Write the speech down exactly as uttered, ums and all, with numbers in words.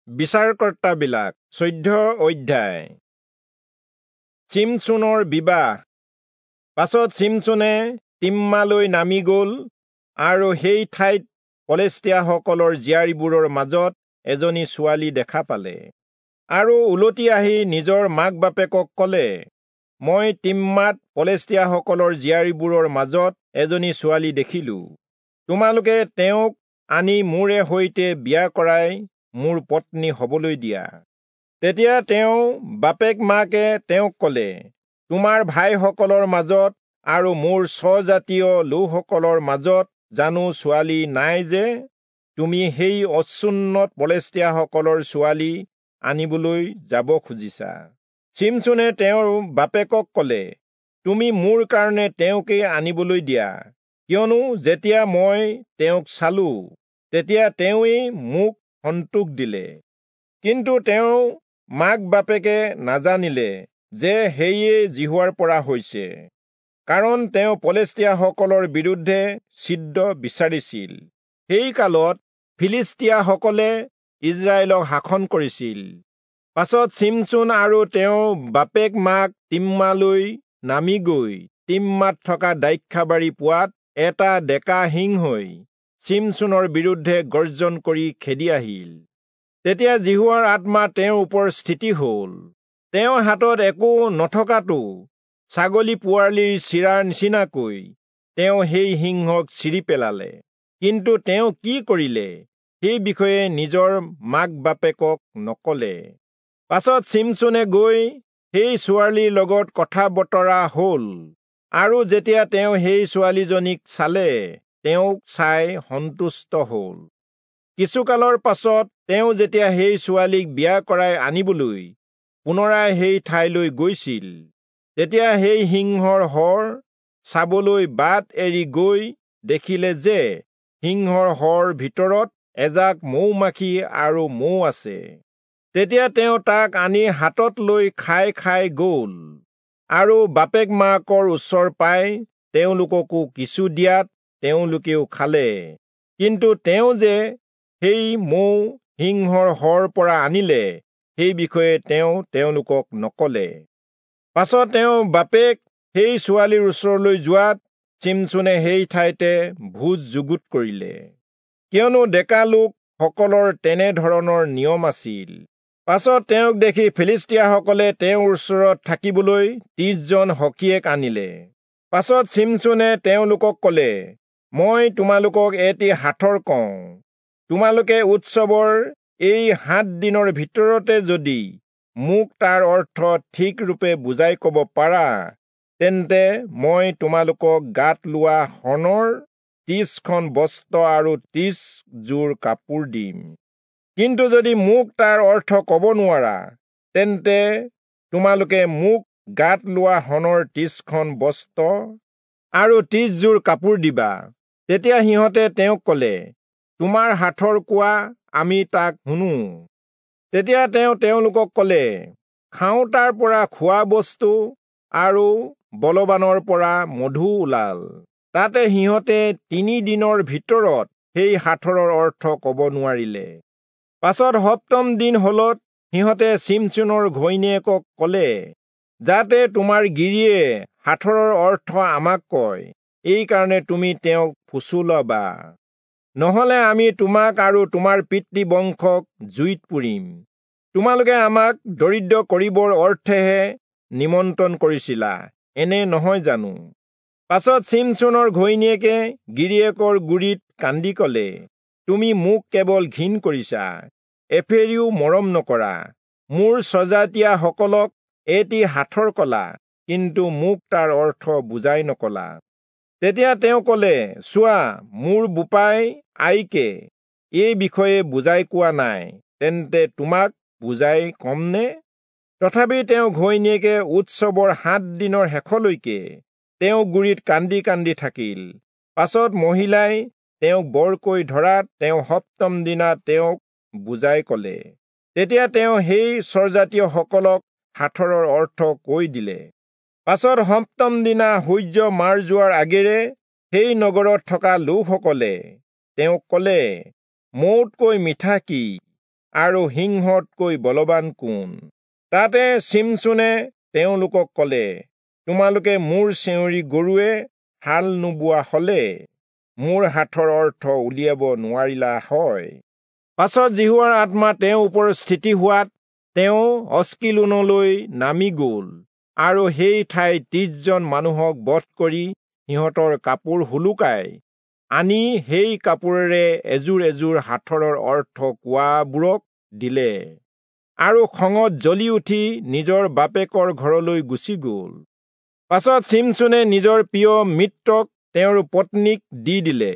বিচাৰকৰ্তাবিলাক চৈধ্য অধ্যায়। চিমচোনৰ বিবাহ। পাছত চিমচোনে তিম্মালৈ নামি গল আৰু সেই ঠাইত পলেষ্টীয়াসকলৰ জীয়াৰীবোৰৰ মাজত এজনী ছোৱালী দেখা পালে আৰু উলটি আহি নিজৰ মাক বাপেকক কলে, মই তিম্মাত পলেষ্টীয়াসকলৰ জীয়াৰীবোৰৰ মাজত এজনী ছোৱালী দেখিলো, তোমালোকে তেওঁক আনি মোৰে সৈতে বিয়া কৰাই মোৰ পত্নী হবলৈ দিয়া। তেতিয়া তেওঁ বাপেক মাকে তেওঁক কলে, তোমাৰ ভাইসকলৰ মাজত আৰু মোৰ স্বজাতীয় লোকসকলৰ মাজত জানো ছোৱালী নাই যে তুমি সেই অচুন্নত পলেষ্টীয়াসকলৰ ছোৱালী আনিবলৈ যাব খুজিছা? চিমচোনে তেওঁৰ বাপেকক কলে, তুমি মোৰ কাৰণে তেওঁকেই আনিবলৈ দিয়া, কিয়নো যেতিয়া মই তেওঁক চালো তেতিয়া তেওঁৱেই মোক সন্তোষ দিলে। কিন্তু তেওঁ মাক বাপেকে নাজানিলে যে সেয়ে যিহোৱাৰ পৰা হৈছে, কাৰণ তেওঁ পলেষ্টীয়াসকলৰ বিৰুদ্ধে ছিদ্ৰ বিচাৰিছিল। সেই কালত ফিলিষ্টীয়াসকলে ইজৰাইলক শাসন কৰিছিল। পাছত চিমচোন আৰু তেওঁৰ বাপেক মাক তিম্মালৈ নামি গৈ তিম্মাত থকা দ্ৰাক্ষাবাৰী পোৱাত এটা ডেকা সিংহই চিমচোনৰ বিৰুদ্ধে গৰ্জন কৰি খেদি আহিল। তেতিয়া যিহোৱাৰ আত্মা তেওঁৰ ওপৰত স্থিতি হল। তেওঁৰ হাতত একো নথকাটো ছাগলী পোৱালিৰ চিৰাৰ নিচিনাকৈ তেওঁ সেই সিংহক চিৰি পেলালে। কিন্তু তেওঁ কি কৰিলে সেই বিষয়ে নিজৰ মাক বাপেকক নকলে। পাছত চিমচোনে গৈ সেই ছোৱালীৰ লগত কথা বতৰা হল আৰু যেতিয়া তেওঁ সেই ছোৱালীজনীক চালে, তেওঁক চাই সন্তুষ্ট হল। কিছুকালৰ পাছত তেওঁ যেতিয়া সেই ছোৱালীক বিয়া কৰাই আনিবলৈ পুনৰাই সেই ঠাইলৈ গৈছিল, তেতিয়া সেই সিংহৰ শৰ চাবলৈ বাট এৰি গৈ দেখিলে যে সিংহৰ শৰ ভিতৰত এজাক মৌ-মাখি আৰু মৌ আছে। তেতিয়া তেওঁ তাক আনি হাতত লৈ খাই খাই গল আৰু বাপেক মাকৰ ওচৰ পাই তেওঁলোককো কিছু দিয়াত তেওঁলোকেও খালে। কিন্তু তেওঁ যে সেই মৌ সিংহৰ শৰ পৰা আনিলে সেই বিষয়ে তেওঁ তেওঁলোকক নকলে। পাছত তেওঁ বাপেক সেই ছোৱালীৰ ওচৰলৈ যোৱাত চিমচোনে সেই ঠাইতে ভোজ যুগুত কৰিলে, কিয়নো ডেকা লোকসকলৰ তেনে ধৰণৰ নিয়ম আছিল। পাছত তেওঁক দেখি ফিলিষ্টীয়াসকলে তেওঁৰ ওচৰত থাকিবলৈ ত্ৰিশজন সখীয়েক আনিলে। পাছত চিমচোনে তেওঁলোকক কলে, মই তোমালোকক এটি সাঁথৰ কওঁ, তোমালোকে উৎসৱৰ এই সাত দিনৰ ভিতৰতে যদি মোক তাৰ অৰ্থ ঠিক ৰূপে বুজাই কব পাৰা, তেন্তে মই তোমালোকক গাত লোৱা শণৰ ত্ৰিশখন বস্ত্ৰ আৰু ত্ৰিশ যোৰ কাপোৰ দিম। কিন্তু যদি মোক তাৰ অৰ্থ কব নোৱাৰা, তেন্তে তোমালোকে মোক গাত লোৱা শণৰ ত্ৰিশখন বস্ত্ৰ আৰু ত্ৰিশ যোৰ কাপোৰ দিবা। তেতিয়া সিহঁতে তেওঁক কলে, তোমাৰ সাঁথৰ কোৱা, আমি তাক শুনো। তেতিয়া তেওঁ তেওঁলোকক কলে, খাওঁতাৰ পৰা খোৱা বস্তু আৰু বলৱানৰ পৰা মধু ওলাল। তাতে সিহঁতে তিনি দিনৰ ভিতৰত সেই সাঁথৰৰ অৰ্থ কব নোৱাৰিলে। পাছত সপ্তম দিন হলত সিহঁতে চিমচোনৰ ঘৈণীয়েকক কলে, যাতে তোমাৰ গিৰিয়ে সাঁথৰৰ অৰ্থ আমাক কয়, এইকাৰণে তুমি তেওঁক ফুচুলাবা, নহলে আমি তোমাক আৰু তোমাৰ পিতৃ বংশক জুইত পুৰিম। তোমালোকে আমাক দৰিদ্ৰ কৰিবৰ অৰ্থেহে নিমন্ত্ৰণ কৰিছিলা, এনে নহয় জানো? পাছত চিমচোনৰ ঘৈণীয়েকে গিৰিয়েকৰ গুৰিত কান্দি কলে, তুমি মোক কেৱল ঘিণ কৰিছা, এফেৰিও মৰম নকৰা। মোৰ স্বজাতীয়াসকলক এটি সাঁথৰ কলা, কিন্তু মোক তাৰ অৰ্থ বুজাই নকলা। তেতিয়া তেওঁ কলে, চোৱা, মোৰ বোপাই আইকে এই বিষয়ে বুজাই কোৱা নাই, তেন্তে তোমাক বুজাই কমনে? তথাপি তেওঁ ঘৈণীয়েকে উৎসৱৰ সাত দিনৰ শেষলৈকে তেওঁ গুৰিত কান্দি কান্দি থাকিল। পাছত মহিলাই তেওঁক বৰকৈ ধৰাত তেওঁ সপ্তম দিনা তেওঁক বুজাই কলে। তেতিয়া তেওঁ সেই স্বজাতীয়সকলক সাঁথৰৰ অৰ্থ কৈ দিলে। পাছত সপ্তম দিনা সূৰ্য মাৰ যোৱাৰ আগেৰে সেই নগৰত থকা লোকসকলে তেওঁক কলে, মৌতকৈ মিঠা কি আৰু সিংহতকৈ বলৱান কোন? তাতে চিমচোনে তেওঁলোকক কলে, তোমালোকে মোৰ চেউৰী গৰুৱে হাল নোবোৱা হলে মোৰ সাঁথৰ অৰ্থ উলিয়াব নোৱাৰিলা হয়। পাছত যিহোৱাৰ আত্মা তেওঁৰ ওপৰত স্থিতি হোৱাত তেওঁ অস্কিলোনলৈ নামি গল আৰু সেই ঠাইত ত্ৰিশজন মানুহক বধ কৰি সিহঁতৰ কাপোৰ সোলোকাই আনি সেই কাপোৰেৰে এযোৰ এযোৰ সাঁথৰৰ অৰ্থ কোৱাবোৰক দিলে আৰু খঙত জ্বলি উঠি নিজৰ বাপেকৰ ঘৰলৈ গুচি গল। পাছত চিমচোনে নিজৰ প্ৰিয় মিত্ৰক তেওঁৰ পত্নীক দি দিলে।